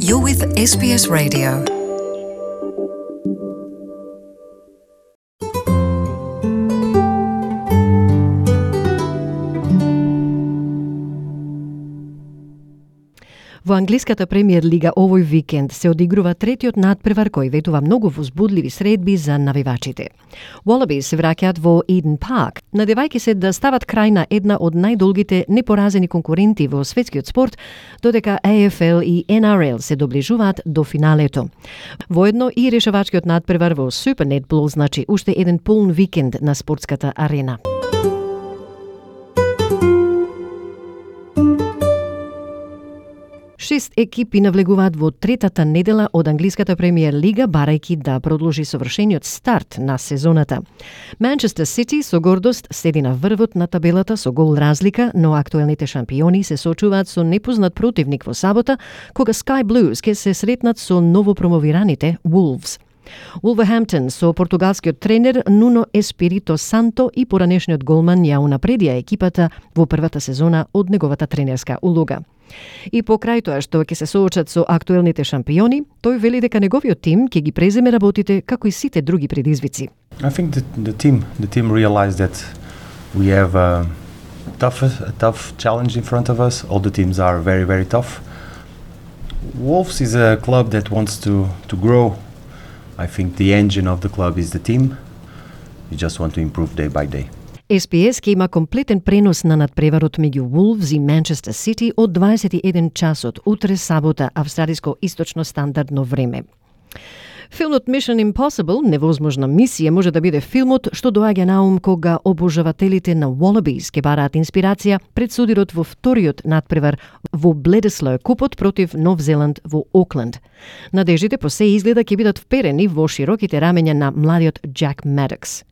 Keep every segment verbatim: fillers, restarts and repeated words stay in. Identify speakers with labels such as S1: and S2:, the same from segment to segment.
S1: You're with S B S Radio.
S2: Во англиската премиер лига овој викенд се одигрува третиот надпревар кој ветува многу возбудливи средби за навивачите. Wallabies се враќаат во Eden Park, надевајќи се да стават крај на една од најдолгите непоразени конкуренти во светскиот спорт, додека A F L и N R L се доближуваат до финалето. Воедно и решавачкиот надпревар во Super Netball значи уште еден полн викенд на спортската арена. Шест екипи навлегуваат во третата недела од англиската премиер лига, барајќи да продолжи совршениот старт на сезоната. Манчестер Сити со гордост седи на врвот на табелата со гол разлика, но актуелните шампиони се соочуваат со непознат противник во сабота, кога Sky Blues ќе се сретнат со новопромовираните Wolves. Wolverhampton со португалскиот тренер Nuno Espirito Santo и поранешниот голман ја унапредија екипата во првата сезона од неговата тренерска улога. И покрај тоа што ќе се соочат со актуелните шампиони, тој вели дека неговиот тим ќе ги преземе работите како и сите други предизвици.
S3: I think the, the team the team realized that we have a tough a tough challenge in front of us. All the teams are very very tough. Wolves is a club that wants to to grow. I think the engine of the club is the team. We just want to improve day by day.
S2: S B S ќе има комплетен пренос на надпреварот меѓу Wolves и Manchester City од дваесет и еден часот утре сабота австралиско источно стандардно време. Филмот Mission Impossible, невозможна мисија, може да биде филмот што доаѓа на ум кога обожавателите на Wallabies ќе бараат инспирација пред судирот во вториот надпревар во Bledisloe купот против Нов Зеланд во Окленд. Надеждите по се изгледа ќе бидат вперени во широките рамења на младиот Jack Maddox.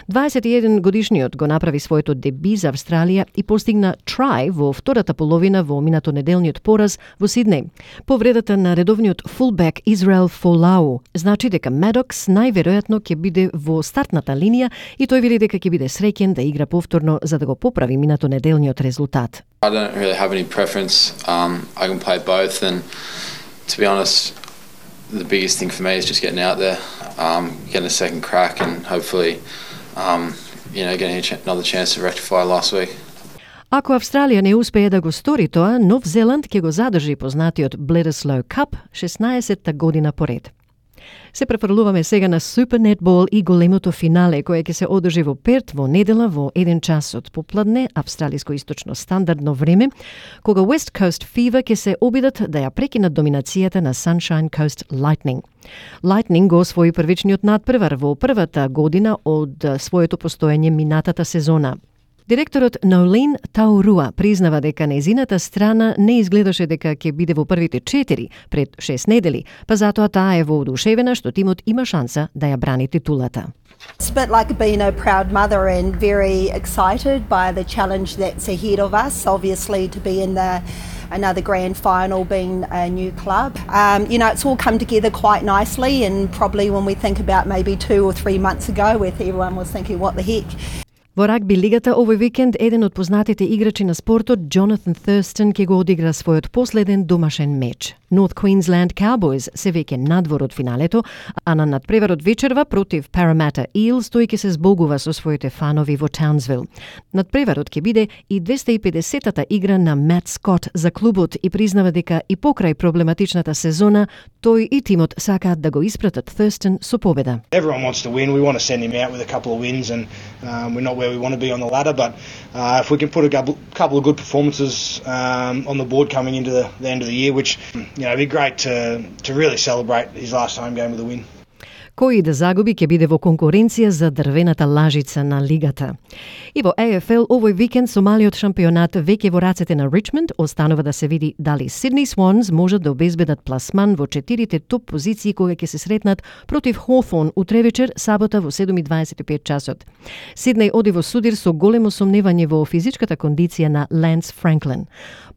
S2: дваесет и еден годишниот го направи своето деби за Австралија и постигна трај во втората половина во минато неделниот пораз во Сиднеј. Повредата на редовниот фулбек Израел Фолау значи дека Maddox најверојатно ќе биде во стартната линија и тој вели дека ќе биде среќен да игра повторно за да го поправи минато неделниот резултат.
S4: I don't really have any preference. Um, I can play both, and to be honest, the biggest thing for me is just getting out there, um, getting a second crack, and hopefully, um, you know, getting a ch- another chance to rectify last week.
S2: Ако Австралија не успее да го стори тоа, Нов Зеланд ќе го задржи познатиот Bledisloe Cup шеснаесетта година поред. Се префрлуваме сега на Super Netball и големото финале кое ќе се одржи во Перт во недела во еден часот попладне австралиско-источно стандардно време, кога West Coast Fever ќе се обидат да ја прекинат доминацијата на Sunshine Coast Lightning. Lightning го освои првичниот надпревар во првата година од своето постоење минатата сезона. Директорот Нолин Тауруа признава дека нејзината страна не изгледаше дека ќе биде во првите четири пред шест недели, па затоа таа е воодушевена што тимот има шанса да ја брани титулата.
S5: It's a bit like being a proud mother and very excited by the challenge that's ahead of us, obviously to be in the another grand final being a new club. Um, you know, it's all come together quite nicely, and probably when we think about maybe two or three months ago where everyone was thinking what the heck.
S2: Во рагби лигата овој викенд еден од познатите играчи на спортот, Джонатан Thurston, ќе го одигра својот последен домашен меч. North Queensland Cowboys се веќе надвор од финалето, а на надпреварот вечерва против Parramatta Eels тој ќе се збогува со своите фанови во Townsville. Надпреварот ќе биде и двеста и педесетата игра на Matt Scott за клубот и признава дека и покрај проблематичната сезона, тој и тимот сакаат да го испратат Thurston со победа.
S6: Everyone wants to win. We want to send him out with a couple of wins, and um, we're not where we want to be on the ladder, but uh, if we can put a couple, couple of good performances um, on the board coming into the, the end of the year, which, you know, it'd be great to to really celebrate his last home game with a win.
S2: Кој да загуби ќе биде во конкуренција за дрвената лажица на лигата. И во A F L овој викенд со малиот шампионат веќе во рацете на Ричмонд, останува да се види дали Сидни Swans можат да обезбедат пласман во четирите топ позиции кога ќе се сретнат против Hawthorn утре вечер, сабота во седум и дваесет и пет часот. Сиднеј оди во судир со големо сомневање во физичката кондиција на Ланс Франклин.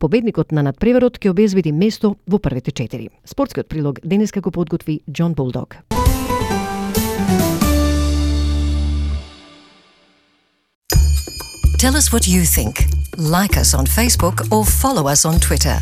S2: Победникот на надпреварот ќе обезбеди место во првите четири. Спортскиот прилог денеска го подготви Џон Булдог.
S1: Tell us what you think. Like us on Facebook or follow us on Twitter.